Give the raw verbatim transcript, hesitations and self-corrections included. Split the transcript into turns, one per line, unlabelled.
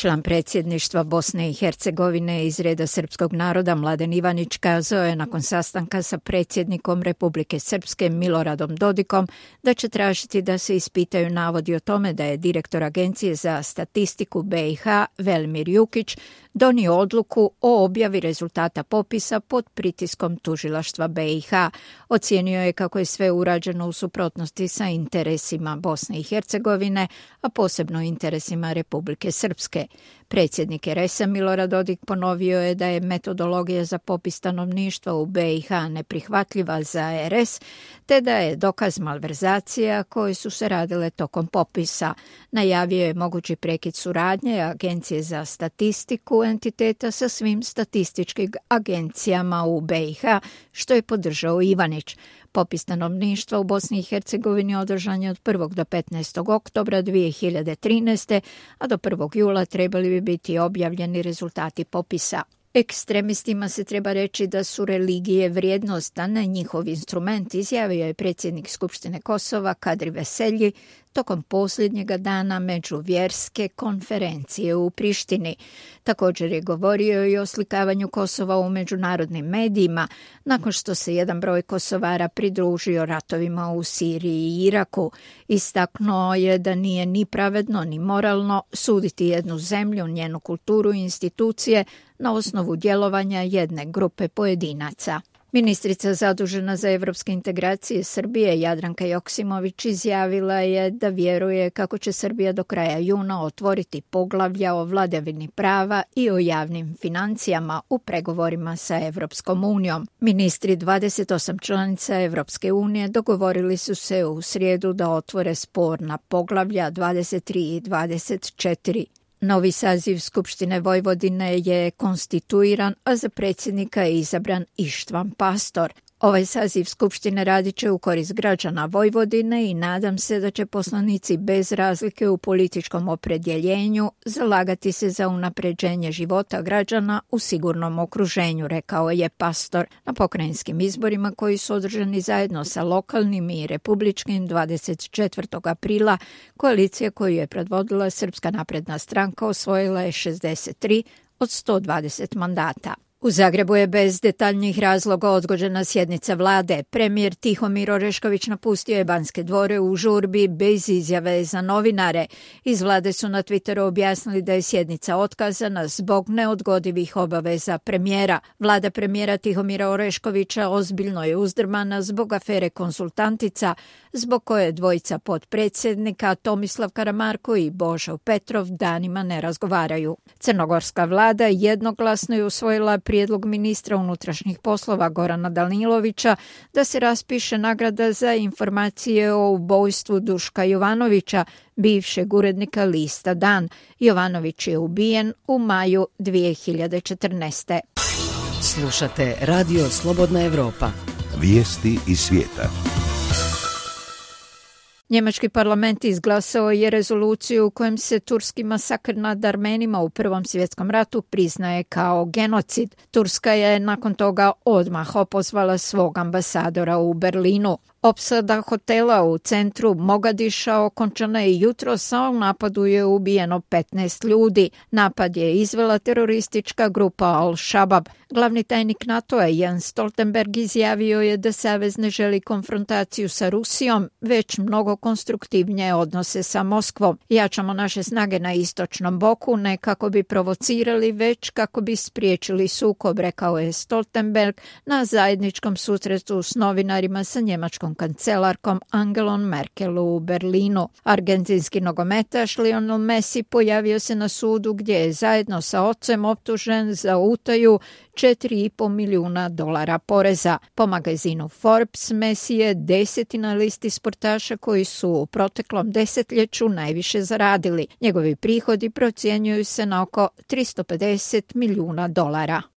Član predsjedništva Bosne i Hercegovine iz reda srpskog naroda Mladen Ivanić kazao je nakon sastanka sa predsjednikom Republike Srpske Miloradom Dodikom da će tražiti da se ispitaju navodi o tome da je direktor Agencije za statistiku be i ha Velimir Jukić donio odluku o objavi rezultata popisa pod pritiskom tužilaštva be i ha. Ocijenio je kako je sve urađeno u suprotnosti sa interesima Bosne i Hercegovine, a posebno interesima Republike Srpske. Predsjednik er es a Milorad Dodik ponovio je da je metodologija za popis stanovništva u be i ha neprihvatljiva za er es, te da je dokaz malverzacija koje su se radile tokom popisa. Najavio je mogući prekid suradnje Agencije za statistiku entiteta sa svim statističkim agencijama u be i ha, što je podržao Ivanić. Popis stanovništva u Bosni i Hercegovini održan je od prvog do petnaestog oktobra dvije hiljade trinaeste. a do prvog jula trebali bi biti objavljeni rezultati popisa. Ekstremistima se treba reći da su religije vrijednost, a ne njihov instrument, izjavio je predsjednik Skupštine Kosova Kadri Veselji tokom posljednjega dana međuvjerske konferencije u Prištini. Također je govorio i o slikavanju Kosova u međunarodnim medijima, nakon što se jedan broj Kosovara pridružio ratovima u Siriji i Iraku. Istaknuo je da nije ni pravedno ni moralno suditi jednu zemlju, njenu kulturu i institucije na osnovu djelovanja jedne grupe pojedinaca. Ministrica zadužena za evropske integracije Srbije Jadranka Joksimović izjavila je da vjeruje kako će Srbija do kraja juna otvoriti poglavlja o vladavini prava i o javnim financijama u pregovorima sa Evropskom unijom. Ministri dvadeset osam članica Evropske unije dogovorili su se u srijedu da otvore sporna poglavlja dvadeset tri i dvadeset četiri. Novi saziv Skupštine Vojvodine je konstituiran, a za predsjednika je izabran Ištvan Pastor. Ovaj saziv Skupštine radit će u korist građana Vojvodine i nadam se da će poslanici bez razlike u političkom opredjeljenju zalagati se za unapređenje života građana u sigurnom okruženju, rekao je Pastor. Na pokrajinskim izborima koji su održani zajedno sa lokalnim i republičkim dvadeset četvrtog aprila, koalicija koju je predvodila Srpska napredna stranka osvojila je šezdeset tri od sto dvadeset mandata. U Zagrebu je bez detaljnih razloga odgođena sjednica vlade. Premijer Tihomir Orešković napustio je Banske dvore u žurbi bez izjave za novinare. Iz vlade su na Twitteru objasnili da je sjednica otkazana zbog neodgodivih obaveza premijera. Vlada premijera Tihomira Oreškovića ozbiljno je uzdrmana zbog afere Konsultantica, zbog koje dvojica potpredsjednika Tomislav Karamarko i Božo Petrov danima ne razgovaraju. Crnogorska vlada jednoglasno je usvojila prijedlog ministra unutrašnjih poslova Gorana Danilovića da se raspiše nagrada za informacije o ubojstvu Duška Jovanovića, bivšeg urednika lista Dan. Jovanović je ubijen u maju dvije hiljade četrnaeste.
Slušate Radio Slobodna Evropa.
Vijesti iz svijeta.
Njemački parlament izglasao je rezoluciju u kojem se turski masakr nad Armenima u Prvom svjetskom ratu priznaje kao genocid. Turska je nakon toga odmah opozvala svog ambasadora u Berlinu. Opsada hotela u centru Mogadiša okončana je jutros, a u napadu je ubijeno petnaest ljudi. Napad je izvela teroristička grupa Al-Shabaab. Glavni tajnik NATO-a Jens Stoltenberg izjavio je da savez ne želi konfrontaciju sa Rusijom, već mnogo konstruktivnije odnose sa Moskvom. Jačamo naše snage na istočnom boku, ne kako bi provocirali, već kako bi spriječili sukob, rekao je Stoltenberg na zajedničkom susretu s novinarima sa njemačkom kancelarkom Angelom Merkel u Berlinu. Argentinski nogometaš Lionel Messi pojavio se na sudu gdje je zajedno sa ocem optužen za utaju četiri i pol milijuna dolara poreza. Po magazinu Forbes, Messi je deseti na listi sportaša koji su u proteklom desetljeću najviše zaradili. Njegovi prihodi procjenjuju se na oko tristo pedeset milijuna dolara.